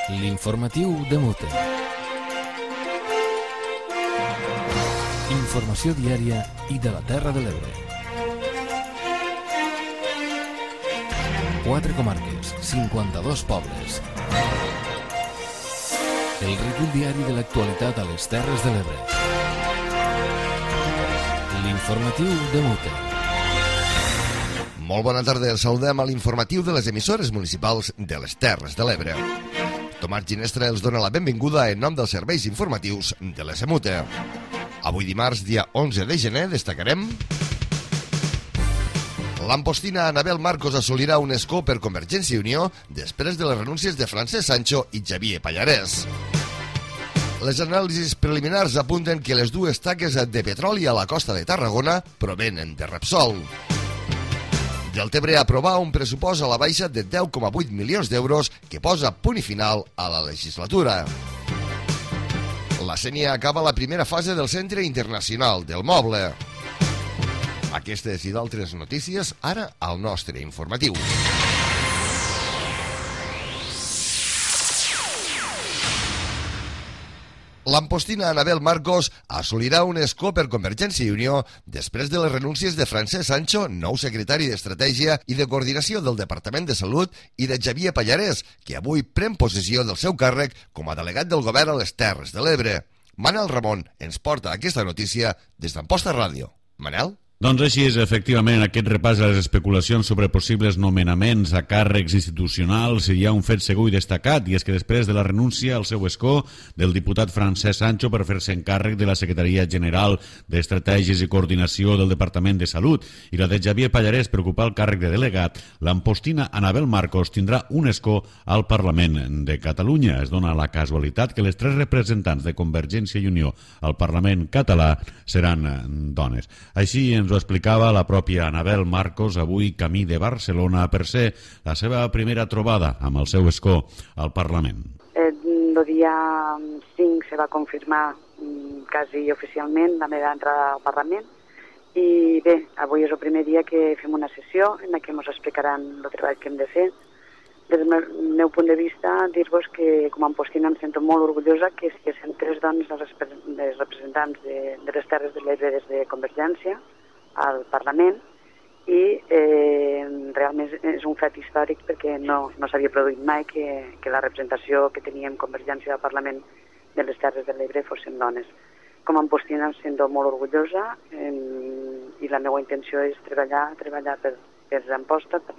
L'informatiu de Mute. Informació diària i de la Terra de l'Ebre. 4 comarques, 52 pobles. El recull diari de l'actualitat a les Terres de l'Ebre. L'informatiu de Mute. Molt bona tarda, els saludem a l'informatiu de les emissores municipals de les Terres de l'Ebre. Tomàs Ginestra els dona la benvinguda en nom dels serveis informatius de l'SMUTE. Avui dimarts, dia 11 de gener, destacarem: l'ampostina Anabel Marcos assolirà un escó per Convergència i Unió després de les renúncies de Francesc Sancho i Xavier Pallarès. Les anàlisis preliminars apunten que les dues taques de petroli a la costa de Tarragona provenen de Repsol. Deltebre aprovar un pressupost a la baixa de 10,8 milions d'euros que posa punt i final a la legislatura. La Sénia acaba la primera fase del Centre Internacional del Moble. Aquestes i d'altres notícies ara al nostre informatiu. L'ampostina Anabel Marcos assolirà un escó per Convergència i Unió després de les renúncies de Francesc Sancho, nou secretari d'Estratègia i de Coordinació del Departament de Salut, i de Xavier Pallarès, que avui pren possessió del seu càrrec com a delegat del govern a les Terres de l'Ebre. Manel Ramon ens porta aquesta notícia des d'Amposta Ràdio. Manel? Doncs així és, efectivament, aquest repàs a les especulacions sobre possibles nomenaments a càrrecs institucionals. Hi ha un fet segur i destacat, i és que després de la renúncia al seu escó del diputat Francesc Sancho per fer-se encàrrec de la Secretaria General d'Estratègies i Coordinació del Departament de Salut i la de Xavier Pallarès per ocupar el càrrec de delegat, l'ampostina Anabel Marcos tindrà un escó al Parlament de Catalunya. Es dona la casualitat que les 3 representants de Convergència i Unió al Parlament català seran dones. Així ens ho explicava la pròpia Anabel Marcos avui camí de Barcelona per ser la seva primera trobada amb el seu escó al Parlament. El dia 5 se va confirmar quasi oficialment la meva entrada al Parlament i bé, avui és el primer dia que fem una sessió en la que ens explicaran el treball que hem de fer. Des del meu punt de vista, dir-vos que com a ampostina em sento molt orgullosa que siguin 3 dones les representants de les Terres de l'Ebre des de Convergència al Parlament i realment és un fet històric perquè no s'havia produït mai que la representació que teníem Convergència al Parlament de les Terres de l'Ebre fossin dones. Com a ampostina em sento molt orgullosa i la meva intenció és treballar per Amposta, per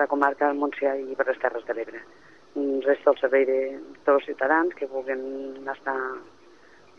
la comarca del Montsià i per les Terres de l'Ebre. Resto al servei de tots els ciutadans que vulguin estar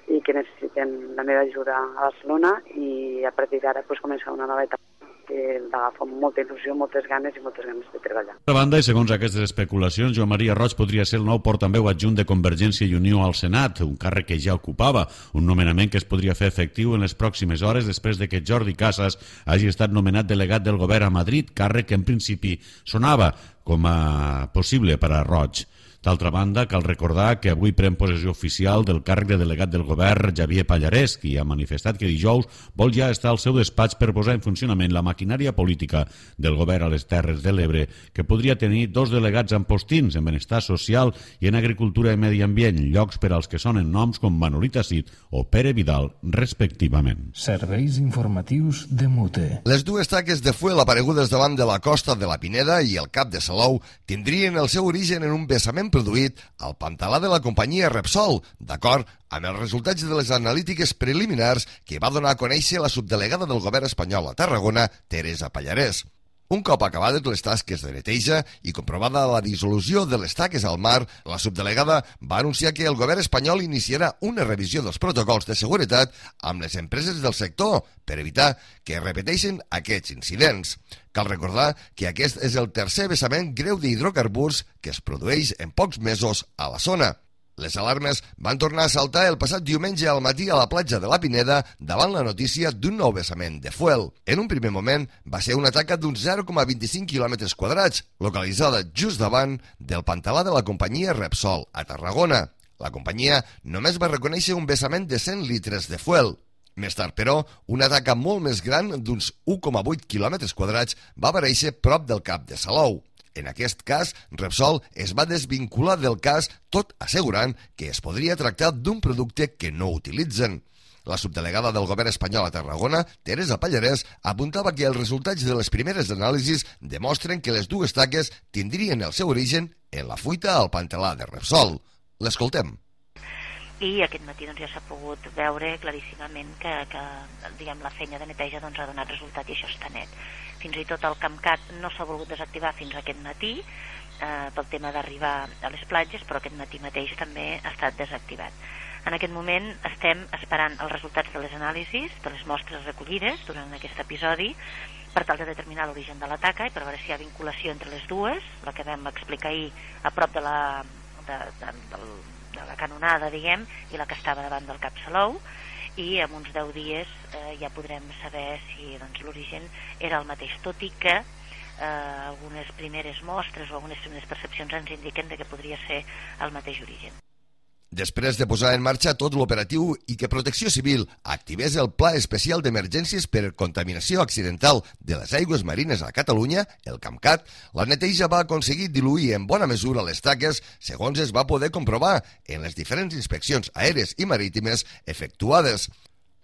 i que necessiten la meva ajuda a Barcelona i a partir d'ara començar una nova etapa que l'agafo amb molta il·lusió, moltes ganes de treballar. Per banda, i segons aquestes especulacions, Joan Maria Roig podria ser el nou portaveu adjunt de Convergència i Unió al Senat, un càrrec que ja ocupava, un nomenament que es podria fer efectiu en les pròximes hores després de que Jordi Casas hagi estat nomenat delegat del govern a Madrid, càrrec que en principi sonava com a possible per a Roig. D'altra banda, cal recordar que avui pren possessió oficial del càrrec de delegat del govern Xavier Pallarès, qui ha manifestat que dijous vol ja estar al seu despatx per posar en funcionament la maquinària política del govern a les Terres de l'Ebre, que podria tenir 2 delegats ampostins en benestar social i en agricultura i medi ambient, llocs per als que sonen noms com Manolita Cid o Pere Vidal, respectivament. Serveis informatius de Mute. Les dues taques de fuel aparegudes davant de la costa de la Pineda i el Cap de Salou tindrien el seu origen en un vessament produït al pantalà de la companyia Repsol, d'acord amb els resultats de les analítiques preliminars que va donar a conèixer la subdelegada del govern espanyol a Tarragona, Teresa Pallarès. Un cop acabades les tasques de neteja i comprovada la dissolució de les taques al mar, la subdelegada va anunciar que el govern espanyol iniciarà una revisió dels protocols de seguretat amb les empreses del sector per evitar que es repeteixin aquests incidents. Cal recordar que aquest és el tercer vessament greu d'hidrocarburs que es produeix en pocs mesos a la zona. Les alarmes van tornar a saltar el passat diumenge al matí a la platja de la Pineda davant la notícia d'un nou vessament de fuel. En un primer moment va ser una taca d'uns 0,25 quilòmetres quadrats, localitzada just davant del pantalà de la companyia Repsol a Tarragona. La companyia només va reconèixer un vessament de 100 litres de fuel. Més tard, però, una taca molt més gran d'uns 1,8 quilòmetres quadrats va aparèixer prop del Cap de Salou. En aquest cas, Repsol es va desvincular del cas, tot assegurant que es podria tractar d'un producte que no utilitzen. La subdelegada del govern espanyol a Tarragona, Teresa Pallarès, apuntava que els resultats de les primeres anàlisis demostren que les dues taques tindrien el seu origen en la fuita al pantalà de Repsol. L'escoltem. I aquest matí ja s'ha pogut veure claríssimament que la feina de neteja ha donat resultat i això està net. Fins i tot el CAMCAT no s'ha volgut desactivar fins aquest matí pel tema d'arribar a les platges, però aquest matí mateix també ha estat desactivat. En aquest moment estem esperant els resultats de les anàlisis, de les mostres recollides durant aquest episodi, per tal de determinar l'origen de la taca i per veure si hi ha vinculació entre les dues, la que vam explicar ahir a prop de la canonada, diguem, i la que estava davant del Cap Salou, i en uns 10 dies ja podrem saber si l'origen era el mateix, tot i que algunes primeres mostres o algunes primeres percepcions ens indiquen que podria ser el mateix origen. Després de posar en marxa tot l'operatiu i que Protecció Civil activés el Pla Especial d'Emergències per Contaminació Accidental de les Aigües Marines a Catalunya, el CAMCAT, la neteja va aconseguir diluir en bona mesura les taques, segons es va poder comprovar en les diferents inspeccions aèries i marítimes efectuades.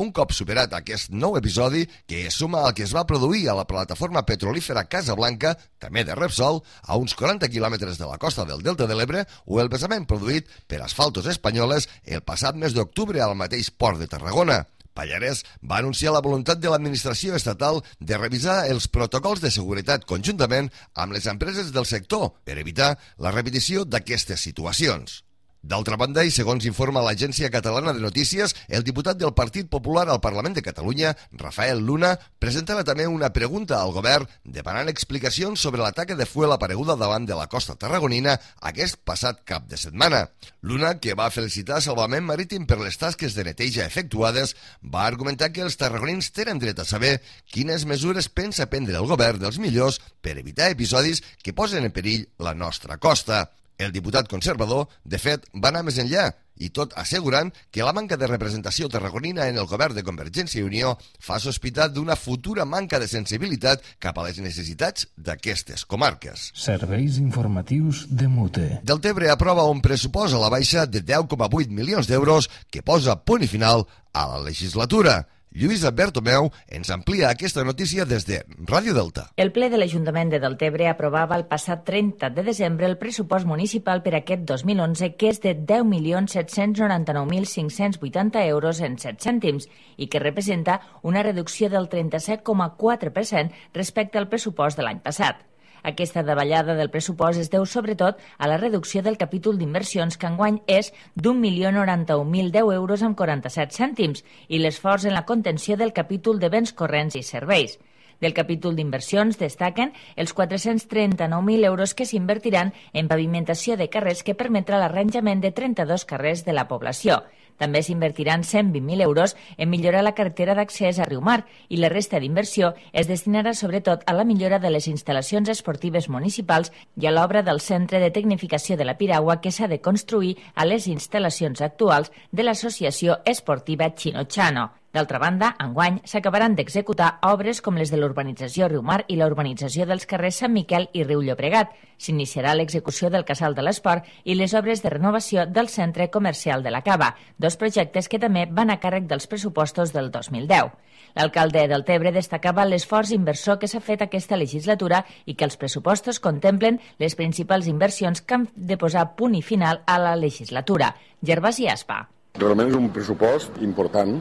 Un cop superat aquest nou episodi, que es suma al que es va produir a la plataforma petrolífera Casablanca, també de Repsol, a uns 40 quilòmetres de la costa del Delta de l'Ebre, o el vessament produït per Asfaltos Espanyoles el passat mes d'octubre al mateix port de Tarragona. Pallarès va anunciar la voluntat de l'administració estatal de revisar els protocols de seguretat conjuntament amb les empreses del sector per evitar la repetició d'aquestes situacions. D'altra banda, i segons informa l'Agència Catalana de Notícies, el diputat del Partit Popular al Parlament de Catalunya, Rafael Luna, presentava també una pregunta al govern demanant explicacions sobre la taca de fuel apareguda davant de la costa tarragonina aquest passat cap de setmana. Luna, que va felicitar Salvament Marítim per les tasques de neteja efectuades, va argumentar que els tarragonins tenen dret a saber quines mesures pensa prendre el govern dels millors per evitar episodis que posen en perill la nostra costa. El diputat conservador, de fet, va anar més enllà, i tot assegurant que la manca de representació tarragonina en el govern de Convergència i Unió fa sospitar d'una futura manca de sensibilitat cap a les necessitats d'aquestes comarques. Serveis informatius de Mute. Deltebre aprova un pressupost a la baixa de 10,8 milions d'euros que posa punt i final a la legislatura. Lluïsa Bertomeu ens amplia aquesta notícia des de Ràdio Delta. El ple de l'Ajuntament de Deltebre aprovava el passat 30 de desembre el pressupost municipal per aquest 2011, que és de 10.799.580 euros en 7 cèntims i que representa una reducció del 37,4% respecte al pressupost de l'any passat. Aquesta davallada del pressupost es deu sobretot a la reducció del capítol d'inversions, que enguany és d'1.091.010 euros amb 47 cèntims, i l'esforç en la contenció del capítol de béns corrents i serveis. Del capítol d'inversions destaquen els 439.000 euros que s'invertiran en pavimentació de carrers, que permetrà l'arranjament de 32 carrers de la població. També s'invertiran 120.000 euros en millorar la carretera d'accés a Riumar, i la resta d'inversió es destinarà sobretot a la millora de les instal·lacions esportives municipals i a l'obra del Centre de Tecnificació de la Piragua, que s'ha de construir a les instal·lacions actuals de l'Associació Esportiva Chino-Chano. D'altra banda, enguany s'acabaran d'executar obres com les de l'urbanització Riumar i la urbanització dels carrers Sant Miquel i Riu Llobregat. S'iniciarà l'execució del Casal de l'Esport i les obres de renovació del Centre Comercial de la Cava, dos projectes que també van a càrrec dels pressupostos del 2010. L'alcalde de Deltebre destacava l'esforç inversor que s'ha fet aquesta legislatura i que els pressupostos contemplen les principals inversions que han de posar punt i final a la legislatura. Gervasi Aspa. Realment és un pressupost important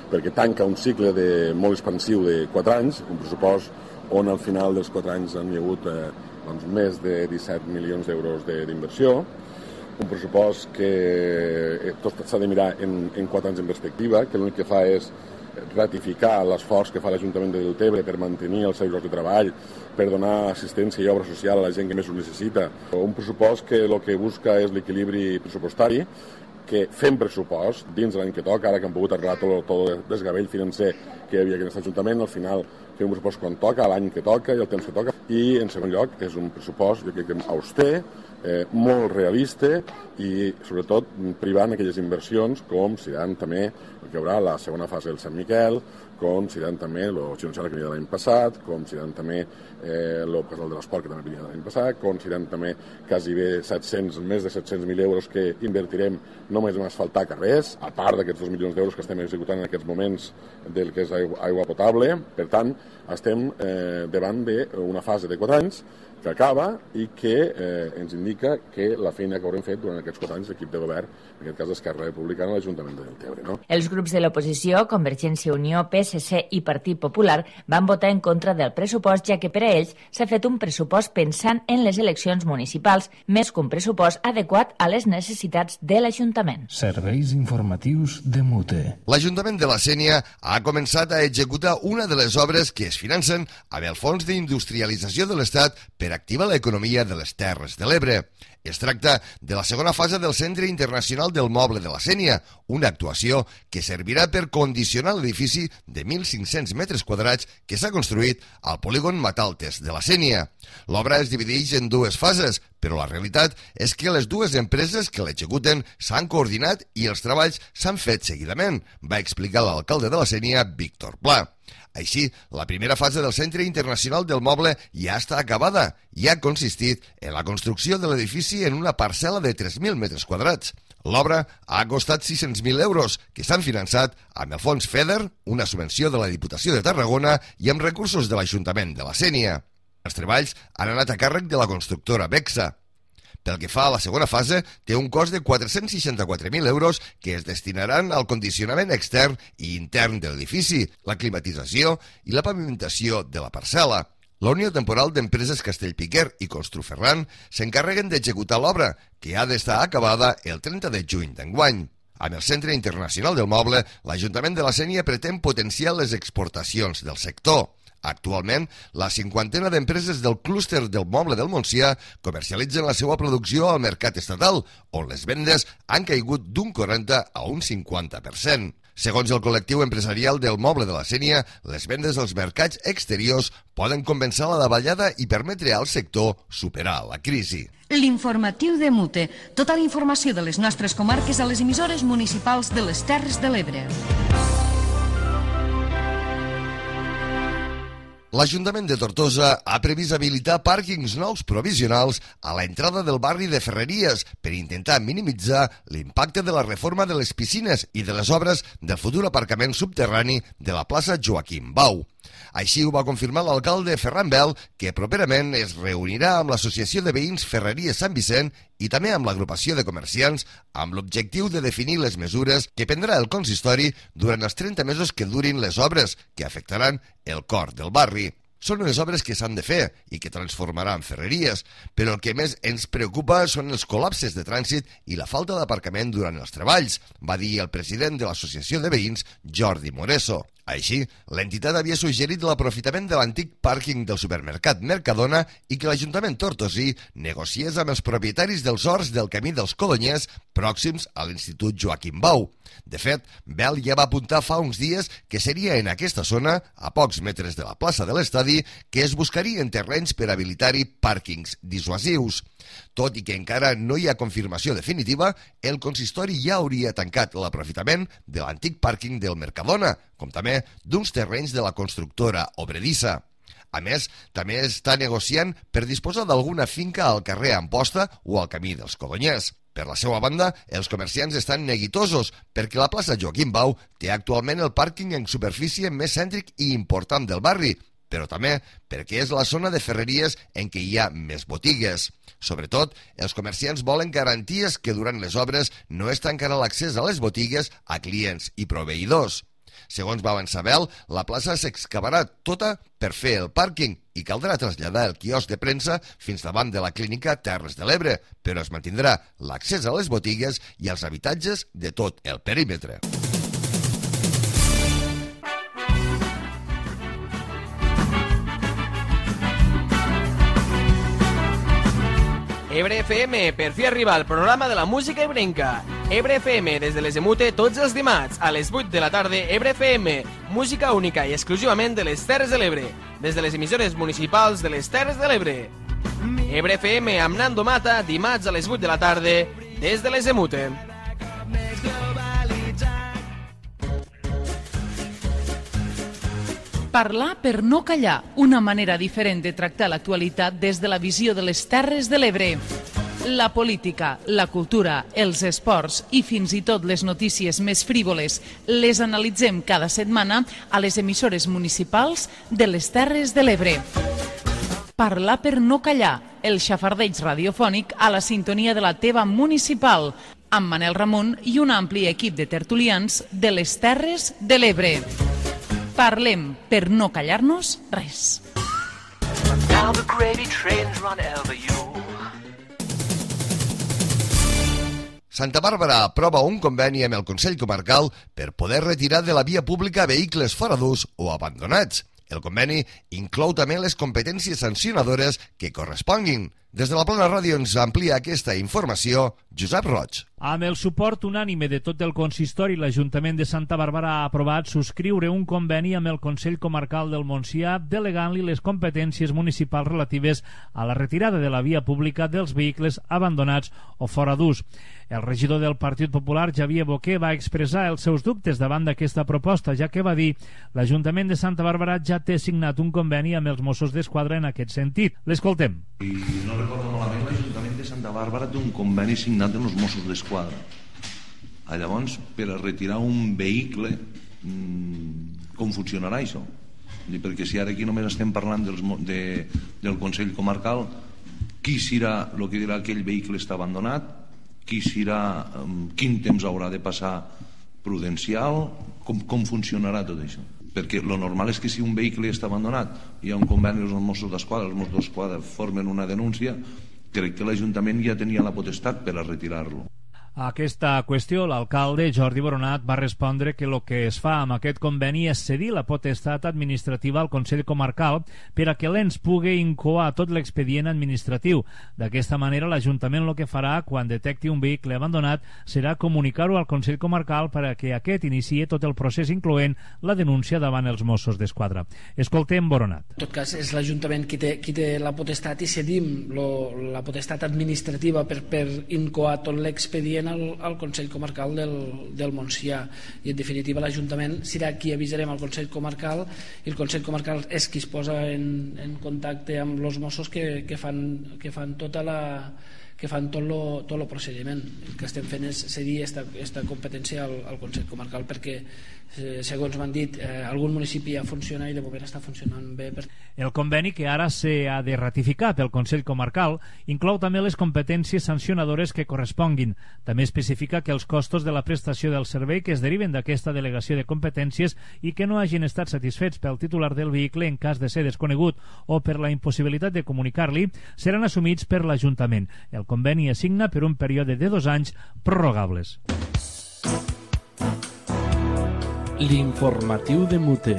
perquè tanca un cicle molt expansiu de 4 anys, un pressupost on al final dels 4 anys han hi hagut més de 17 milions d'euros d'inversió, un pressupost que tot s'ha de mirar en 4 anys en perspectiva, que l'únic que fa és ratificar l'esforç que fa l'Ajuntament de Deltebre per mantenir els seus llocs de treball, per donar assistència i obra social a la gent que més ho necessita. Un pressupost que el que busca és l'equilibri pressupostari, que fem pressupost dins l'any que toca, ara que han pogut arreglar tot el desgavell financer que hi havia en aquest Ajuntament, al final fer un pressupost quan toca, l'any que toca i el temps que toca, i en segon lloc és un pressupost, jo crec que auster, molt realista i sobretot privant aquelles inversions com seran també el que hi haurà la segona fase del Sant Miquel, com seran també el Gironçal que venia de l'any passat, com seran també el casal de l'esport que també venia de l'any passat, com seran també quasi bé més de 700.000 euros que invertirem només en asfaltar carrers, a part d'aquests 2 milions d'euros que estem executant en aquests moments del que és aigua potable. Per tant, estem davant d'una fase de 4 anys que acaba i que ens indica que la feina que haurem fet durant aquests 4 anys l'equip de govern, en aquest cas Esquerra Republicana, l'Ajuntament de Deltebre. No? Els grups de l'oposició, Convergència i Unió, PSC i Partit Popular, van votar en contra del pressupost, ja que per a ells s'ha fet un pressupost pensant en les eleccions municipals, més que un pressupost adequat a les necessitats de l'Ajuntament. Serveis informatius de Mute. L'Ajuntament de la Sénia ha començat a executar una de les obres que es financen amb el Fons d'Industrialització de l'Estat per activar l'economia de les Terres de l'Ebre. Es tracta de la segona fase del Centre Internacional del Moble de la Sénia, una actuació que servirà per condicionar l'edifici de 1.500 metres quadrats que s'ha construït al polígon Mataltes de la Sénia. L'obra es divideix en 2 fases, però la realitat és que les 2 empreses que l'executen s'han coordinat i els treballs s'han fet seguidament, va explicar l'alcalde de la Sénia, Víctor Pla. Així, la primera fase del Centre Internacional del Moble ja està acabada i ha consistit en la construcció de l'edifici en una parcel·la de 3.000 metres quadrats. L'obra ha costat 600.000 euros, que s'han finançat amb el fons FEDER, una subvenció de la Diputació de Tarragona, i amb recursos de l'Ajuntament de la Sénia. Els treballs han anat a càrrec de la constructora Bexa. Pel que fa a la segona fase, té un cost de 464.000 euros que es destinaran al condicionament extern i intern de l'edifici, la climatització i la pavimentació de la parcel·la. La Unió Temporal d'Empreses Castellpiquer i Construferran s'encarreguen d'executar l'obra, que ha d'estar acabada el 30 de juny d'enguany. Amb el Centre Internacional del Moble, l'Ajuntament de la Sénia pretén potenciar les exportacions del sector. Actualment, la 50ena d'empreses del clúster del moble del Montsià comercialitzen la seva producció al mercat estatal, on les vendes han caigut d'un 40 a un 50%. Segons el col·lectiu empresarial del moble de la Sénia, les vendes als mercats exteriors poden compensar la davallada i permetre al sector superar la crisi. L'informatiu de Mute. Tota la informació de les nostres comarques a les emissores municipals de les Terres de l'Ebre. L'Ajuntament de Tortosa ha previst habilitar pàrquings nous provisionals a l'entrada del barri de Ferreries per intentar minimitzar l'impacte de la reforma de les piscines i de les obres del futur aparcament subterrani de la plaça Joaquim Bau. Així ho va confirmar l'alcalde Ferran Bel, que properament es reunirà amb l'Associació de Veïns Ferreries Sant Vicent i també amb l'agrupació de comerciants amb l'objectiu de definir les mesures que prendrà el consistori durant els 30 mesos que durin les obres que afectaran el cor del barri. Són unes obres que s'han de fer i que transformaran Ferreries, però el que més ens preocupa són els col·lapses de trànsit i la falta d'aparcament durant els treballs, va dir el president de l'Associació de Veïns, Jordi Moreso. Així, l'entitat havia suggerit l'aprofitament de l'antic pàrquing del supermercat Mercadona i que l'Ajuntament tortosí negociés amb els propietaris dels horts del Camí dels Codonyers pròxims a l'Institut Joaquim Bau. De fet, Bel ja va apuntar fa uns dies que seria en aquesta zona, a pocs metres de la plaça de l'estadi, que es buscarien terrenys per habilitar-hi pàrquings dissuasius. Tot i que encara no hi ha confirmació definitiva, el consistori ja hauria tancat l'aprofitament de l'antic pàrquing del Mercadona, com també d'uns terrenys de la constructora Obredissa. A més, també està negociant per disposar d'alguna finca al carrer Amposta o al Camí dels Codonyers. Per la seva banda, els comerciants estan neguitosos perquè la plaça Joaquim Bau té actualment el pàrquing en superfície més cèntric i important del barri, però també perquè és la zona de Ferreries en què hi ha més botigues. Sobretot, els comerciants volen garanties que durant les obres no es tancarà l'accés a les botigues a clients i proveïdors. Segons va avançar Bel, la plaça s'excavarà tota per fer el pàrquing i caldrà traslladar el quiosc de premsa fins davant de la clínica Terres de l'Ebre, però es mantindrà l'accés a les botigues i als habitatges de tot el perímetre. Ebre FM, per fi arriba el programa de la música ebrenca. Ebre FM des de les Emute tots els dimarts a les 8 de la tarda. Ebre FM, música única i exclusivament de les Terres de l'Ebre, des de les emissores municipals de les Terres de l'Ebre. Ebre FM amb Nando Mata, dimarts a les 8 de la tarda des de les Emute. Parlar per no callar, una manera diferent de tractar l'actualitat des de la visió de les Terres de l'Ebre. La política, la cultura, els esports i fins i tot les notícies més frívoles les analitzem cada setmana a les emissores municipals de les Terres de l'Ebre. Parlar per no callar, el xafardeig radiofònic a la sintonia de la teva municipal, amb Manel Ramon i un ampli equip de tertulians de les Terres de l'Ebre. Parlem per no callar-nos res. Santa Bàrbara aprova un conveni amb el Consell Comarcal per poder retirar de la via pública vehicles fora d'ús o abandonats. El conveni inclou també les competències sancionadores que corresponguin. Des de la Plana Ràdio ens amplia aquesta informació Josep Roig. Amb el suport unànime de tot el consistori, l'Ajuntament de Santa Bàrbara ha aprovat subscriure un conveni amb el Consell Comarcal del Montsià delegant-li les competències municipals relatives a la retirada de la via pública dels vehicles abandonats o fora d'ús. El regidor del Partit Popular, Xavier Boquer, va expressar els seus dubtes davant d'aquesta proposta, ja que va dir l'Ajuntament de Santa Bàrbara ja té signat un conveni amb els Mossos d'Esquadra en aquest sentit. L'escoltem. I no recordo malament, l'Ajuntament de Santa Bàrbara té un conveni signat amb els Mossos d'Esquadra. Llavors, per a retirar un vehicle, com funcionarà això? Perquè si ara aquí només estem parlant del Consell Comarcal, qui serà el que dirà que aquell vehicle està abandonat, qui serà, quin temps haurà de passar prudencial, com funcionarà tot això? Perquè lo normal és que si un vehicle està abandonat, hi ha un conveni amb els Mossos d'Esquadra, els Mossos d'Esquadra formen una denúncia, crec que l'Ajuntament ja tenia la potestat per a retirar-lo. A aquesta qüestió, l'alcalde Jordi Boronat va respondre que el que es fa amb aquest conveni és cedir la potestat administrativa al Consell Comarcal per a que l'ENS pugui incoar tot l'expedient administratiu. D'aquesta manera, l'Ajuntament el que farà quan detecti un vehicle abandonat serà comunicar-ho al Consell Comarcal per a que aquest iniciï tot el procés, incloent la denúncia davant els Mossos d'Esquadra. Escoltem Boronat. En tot cas, és l'Ajuntament qui té la potestat i cedim la potestat administrativa per incoar tot l'expedient al Consell Comarcal del Montsià, i en definitiva l'Ajuntament serà qui avisarem al Consell Comarcal, i el Consell Comarcal és qui es posa en contacte amb els Mossos que fan tot el procediment. El que estem fent és cedir aquesta competència al Consell Comarcal perquè, segons m'han dit, algun municipi ja funciona i de moment està funcionant bé. El conveni, que ara s'ha de ratificar pel Consell Comarcal, inclou també les competències sancionadores que corresponguin. També especifica que els costos de la prestació del servei que es deriven d'aquesta delegació de competències i que no hagin estat satisfets pel titular del vehicle en cas de ser desconegut o per la impossibilitat de comunicar-li seran assumits per l'Ajuntament. El conveni es signa per un període de 2 anys prorrogables. L'informatiu de Mute.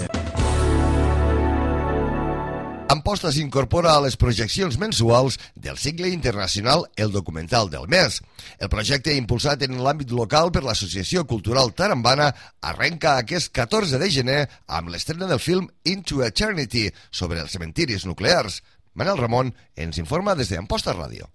Amposta s'incorpora a les projeccions mensuals del cicle internacional El Documental del Mes. El projecte, impulsat en l'àmbit local per l'Associació Cultural Tarambana, arrenca aquest 14 de gener amb l'estrena del film Into Eternity sobre els cementiris nuclears. Manel Ramon ens informa des d'Amposta Ràdio.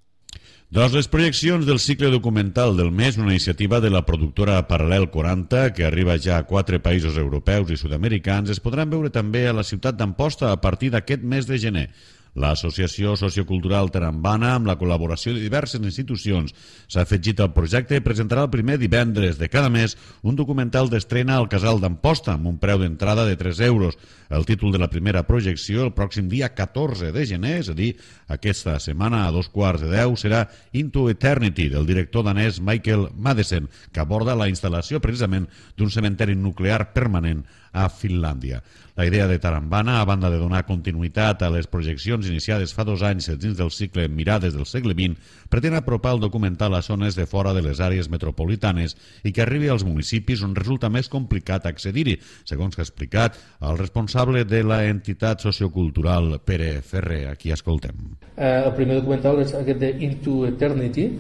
Les projeccions del cicle documental del mes, una iniciativa de la productora Paral·lel 40, que arriba ja a 4 països europeus i sud-americans, es podran veure també a la ciutat d'Amposta a partir d'aquest mes de gener. L'Associació Sociocultural Tarambana, amb la col·laboració de diverses institucions, s'ha afegit al projecte i presentarà el primer divendres de cada mes un documental d'estrena al Casal d'Amposta amb un preu d'entrada de 3 euros. El títol de la primera projecció, el pròxim dia 14 de gener, és a dir, aquesta setmana a 2:15, serà Into Eternity, del director danès Michael Madsen, que aborda la instal·lació precisament d'un cementeri nuclear permanent a Finlàndia. La idea de Tarambana, a banda de donar continuïtat a les projeccions iniciades fa 2 anys dins del cicle Mirades del segle XX, pretén apropar el documental a zones de fora de les àrees metropolitanes i que arribi als municipis on resulta més complicat accedir-hi, segons que ha explicat el responsable de la entitat sociocultural Pere Ferrer. Aquí escoltem. El primer documental és aquest de Into Eternity,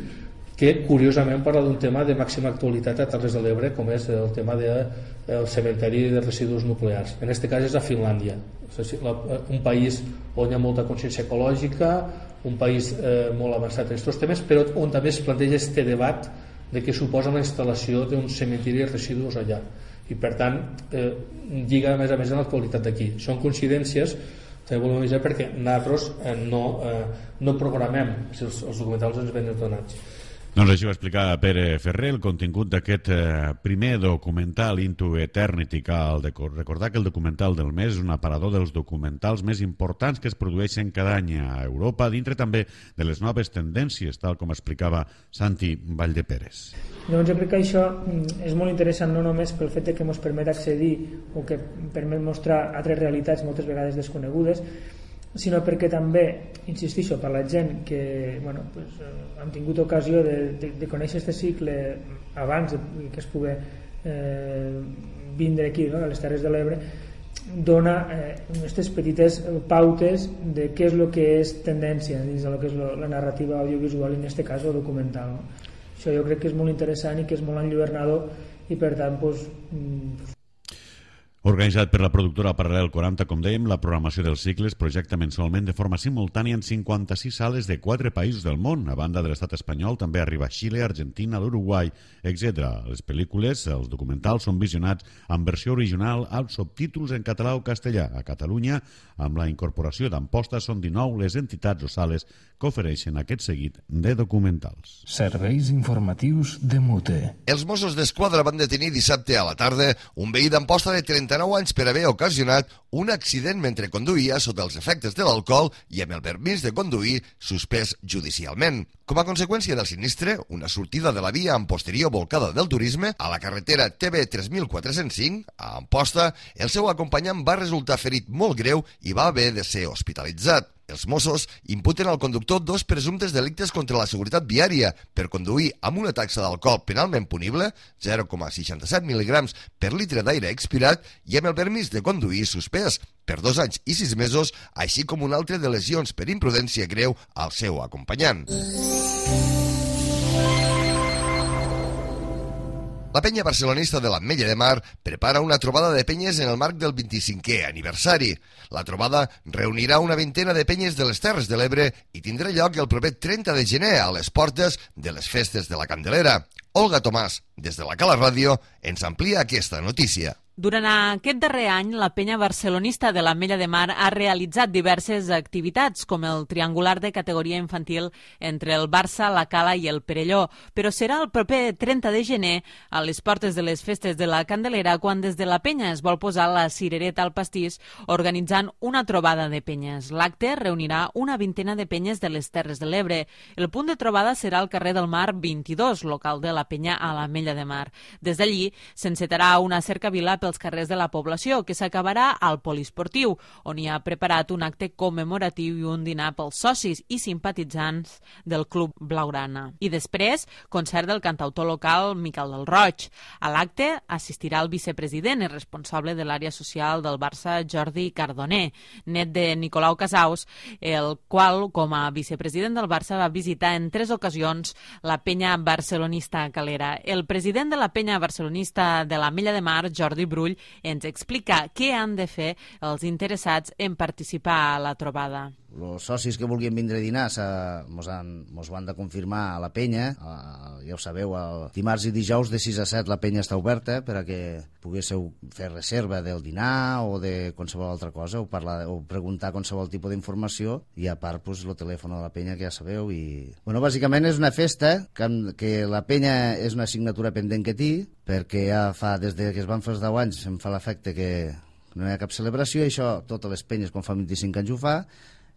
que curiosament parla d'un tema de màxima actualitat a Terres de l'Ebre, com és el tema del cementeri de residus nuclears. En aquest cas és a Finlàndia, un país on hi ha molta consciència ecològica, un país molt avançat en aquests temes, però on també es planteja aquest debat de què suposa la instal·lació d'un cementeri de residus allà, i per tant lliga a més amb l'actualitat d'aquí. Són coincidències, també volem avisar, perquè nosaltres no programem si els documentals ens venen donats. Doncs així ho explica Pere Ferrer, el contingut d'aquest primer documental Into Eternity. Cal recordar que el documental del mes és un aparador dels documentals més importants que es produeixen cada any a Europa, dintre també de les noves tendències, tal com explicava Santi Valldeperes. Doncs jo crec que això és molt interessant, no només pel fet que ens permet accedir o que permet mostrar altres realitats moltes vegades desconegudes, sinó perquè també, insistixo, per la gent que han tingut ocasió de conèixer aquest cicle abans que es pugui vindre aquí, a les Terres de l'Ebre, dona aquestes petites pautes de què és el que és tendència dins del que és la narrativa audiovisual, en aquest cas o documental. Això jo crec que és molt interessant i que és molt enlluernador, i per tant Organitzat per la productora Paral·lel 40, com dèiem, la programació dels cicles projecta mensualment de forma simultània en 56 sales de 4 països del món. A banda de l'estat espanyol, també arriba a Xile, Argentina, l'Uruguai, etc. Les pel·lícules, els documentals, són visionats en versió original amb subtítols en català o castellà. A Catalunya, amb la incorporació d'Amposta, són 19 les entitats o sales que ofereixen aquest seguit de documentals. Serveis informatius de Mute. Els Mossos d'Esquadra van detenir dissabte a la tarda un veí d'Amposta de 39 anys per haver ocasionat un accident mentre conduïa sota els efectes de l'alcohol i amb el permís de conduir suspès judicialment. Com a conseqüència del sinistre, una sortida de la via amb posterior volcada del turisme a la carretera TB 3405 a Amposta, el seu acompanyant va resultar ferit molt greu i va haver de ser hospitalitzat. Els Mossos imputen al conductor 2 presumptes delictes contra la seguretat viària per conduir amb una taxa d'alcohol penalment punible, 0,67 mil·ligrams per litre d'aire expirat, i amb el permís de conduir suspès per 2 anys i 6 mesos, així com un altre de lesions per imprudència greu al seu acompanyant. La penya barcelonista de l'Ametlla de Mar prepara una trobada de penyes en el marc del 25è aniversari. La trobada reunirà una vintena de penyes de les Terres de l'Ebre i tindrà lloc el proper 30 de gener a les portes de les festes de la Candelera. Olga Tomàs, des de la Cala Ràdio, ens amplia aquesta notícia. Durant aquest darrer any, la penya barcelonista de l'Ametlla de Mar ha realitzat diverses activitats, com el triangular de categoria infantil entre el Barça, la Cala i el Perelló, però serà el proper 30 de gener, a les portes de les festes de la Candelera, quan des de la penya es vol posar la cirereta al pastís, organitzant una trobada de penyes. L'acte reunirà una vintena de penyes de les Terres de l'Ebre. El punt de trobada serà al carrer del Mar 22, local de la penya a l'Ametlla de Mar. Des d'allí s'encetarà una cercavila pels carrers de la població, que s'acabarà al poliesportiu, on hi ha preparat un acte commemoratiu i un dinar pels socis i simpatitzants del Club Blaugrana. I després, concert del cantautor local Miquel del Roig. A l'acte assistirà el vicepresident i responsable de l'àrea social del Barça, Jordi Cardoner, net de Nicolau Casaus, el qual, com a vicepresident del Barça, va visitar en 3 ocasions la penya barcelonista Calera. El president de la penya barcelonista de l'Ametlla de Mar, Jordi Brull, ens explica què han de fer els interessats en participar a la trobada. Els socis que vulguin vindre a dinar mos ho han de confirmar a la penya. Ja ho sabeu, el dimarts i dijous de 6 a 7 la penya està oberta per a que poguéssiu fer reserva del dinar o de qualsevol altra cosa, o preguntar qualsevol tipus d'informació, i a part el telèfon de la penya, que ja sabeu. Bàsicament és una festa que la penya és una assignatura pendent que té, perquè ja fa, des que es van fer els 10 anys, em fa l'efecte que no hi ha cap celebració, i això totes les penyes quan fa 25 anys ho fa.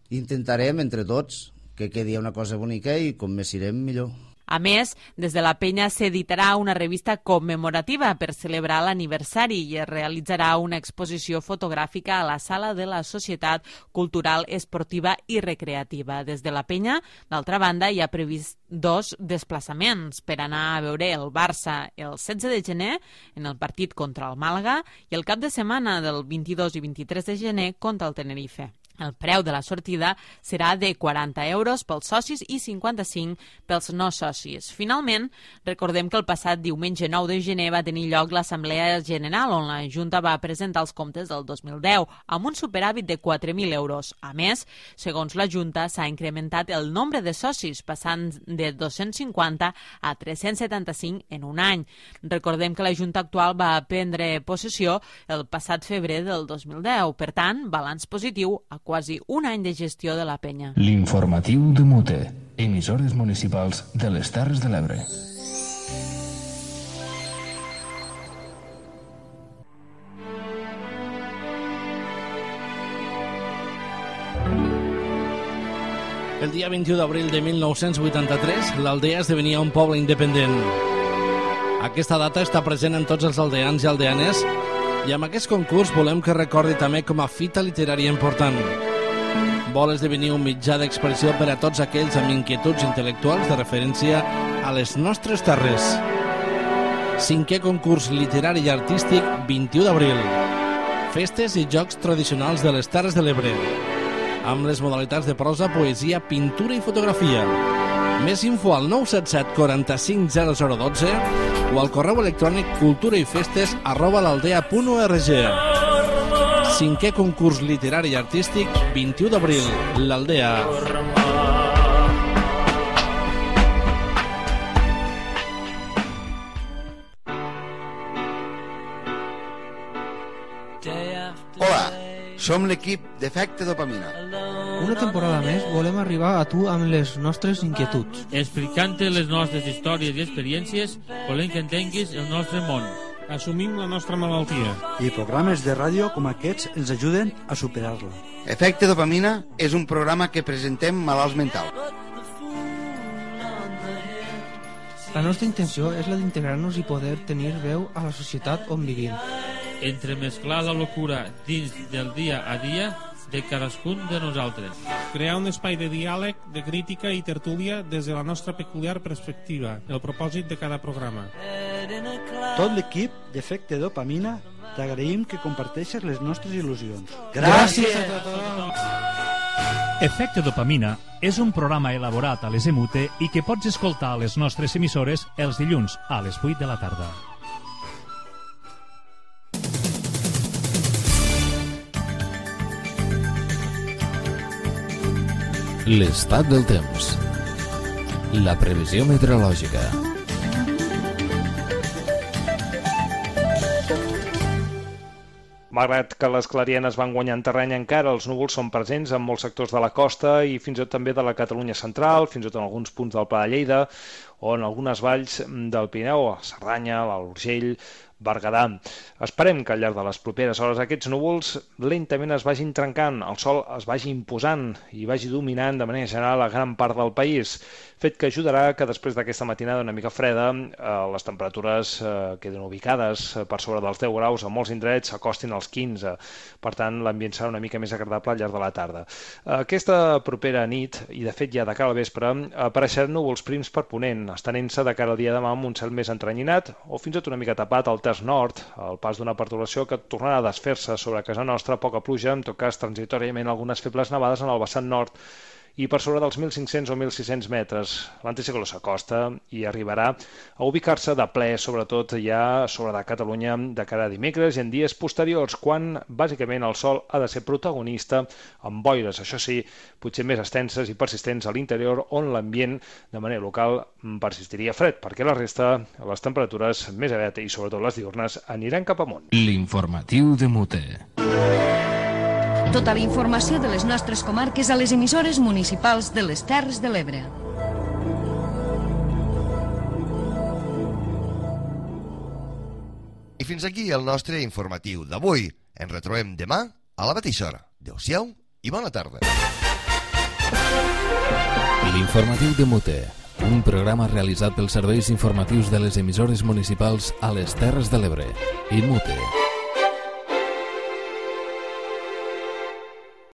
Intentarem entre tots que quedi una cosa bonica, i com més irem millor. A més, des de la penya s'editarà una revista commemorativa per celebrar l'aniversari i es realitzarà una exposició fotogràfica a la sala de la Societat Cultural, Esportiva i Recreativa. Des de la penya, d'altra banda, hi ha previst 2 desplaçaments per anar a veure el Barça el 16 de gener en el partit contra el Màlaga i el cap de setmana del 22 i 23 de gener contra el Tenerife. El preu de la sortida serà de 40 euros pels socis i 55 pels no socis. Finalment, recordem que el passat diumenge 9 de gener va tenir lloc l'Assemblea General, on la Junta va presentar els comptes del 2010, amb un superàvit de 4.000 euros. A més, segons la Junta, s'ha incrementat el nombre de socis, passant de 250 a 375 en un any. Recordem que la Junta actual va prendre possessió el passat febrer del 2010. Per tant, balanç positiu a quasi un any de gestió de la penya. L'informatiu de Mute, emissores municipals de les Terres de l'Ebre. El dia 21 d'abril de 1983, l'Aldea esdevenia un poble independent. Aquesta data està present en tots els aldeans i aldeanes i amb aquest concurs volem que recordi també com a fita literària important. Vol esdevenir un mitjà d'expressió per a tots aquells amb inquietuds intel·lectuals de referència a les nostres terres. 5è concurs literari i artístic 21 d'abril. Festes i jocs tradicionals de les Terres de l'Ebre, amb les modalitats de prosa, poesia, pintura i fotografia. Més info al 977 45 0012 o al correu electrònic culturaifestes@l'aldea.org. 5è concurs literari i artístic 21 d'abril, l'Aldea. Hola, som l'equip d'Efecte Dopamina. Una temporada més volem arribar a tu amb les nostres inquietuds. Explicant-te les nostres històries i experiències, volem que entenguis el nostre món. Assumim la nostra malaltia. I programes de ràdio com aquests ens ajuden a superar-la. Efecte Dopamina és un programa que presentem malalts mentals. La nostra intenció és la d'integrar-nos i poder tenir veu a la societat on vivim. Entremesclar la locura dins del dia a dia de cadascun de nosaltres. Crear un espai de diàleg, de crítica i tertúlia des de la nostra peculiar perspectiva, el propòsit de cada programa. Tot l'equip d'Efecte Dopamina t'agraïm que comparteixes les nostres il·lusions. Gràcies a tothom! Efecte Dopamina és un programa elaborat a les EMUTE i que pots escoltar a les nostres emissores els dilluns a les 8 de la tarda. L'estat del temps. La previsió meteorològica. Malgrat que les clarienes van guanyant terreny encara, els núvols són presents en molts sectors de la costa i fins i tot també de la Catalunya central, fins i tot en alguns punts del Pla de Lleida o en algunes valls del Pirineu, a Cerdanya, l'Alt Urgell, Berguedà. Esperem que al llarg de les properes hores aquests núvols lentament es vagin trencant, el sol es vagi imposant i vagi dominant de manera general a gran part del país, fet que ajudarà que després d'aquesta matinada una mica freda les temperatures queden ubicades per sobre dels 10 graus, a molts indrets s'acostin als 15, per tant l'ambient serà una mica més agradable al llarg de la tarda. Aquesta propera nit, i de fet ja de cara al vespre, apareixeran núvols prims per ponent, estenent-se de cara al dia de demà amb un cel més entrenyinat o fins i tot una mica tapat al terç nord, al pas d'una perturbació que tornarà a desfer-se sobre casa nostra, poca pluja, en tot cas transitòriament algunes febles nevades en el vessant nord i per sobre dels 1.500 o 1.600 metres. L'anticicló s'acosta i arribarà a ubicar-se de ple, sobretot ja sobre de Catalunya de cara a dimecres i en dies posteriors, quan bàsicament el sol ha de ser protagonista amb boires, això sí, potser més extenses i persistents a l'interior, on l'ambient de manera local persistiria fred, perquè la resta, les temperatures més aviat i sobretot les diurnes, aniran cap amunt. L'informatiu de Mute. Tota la informació de les nostres comarques a les emissores municipals de les Terres de l'Ebre. I fins aquí el nostre informatiu d'avui. Ens retrobem demà a la mateixa hora. Adéu-siau i bona tarda. L'informatiu de Mute, un programa realitzat pels serveis informatius de les emissores municipals a les Terres de l'Ebre. I Mute.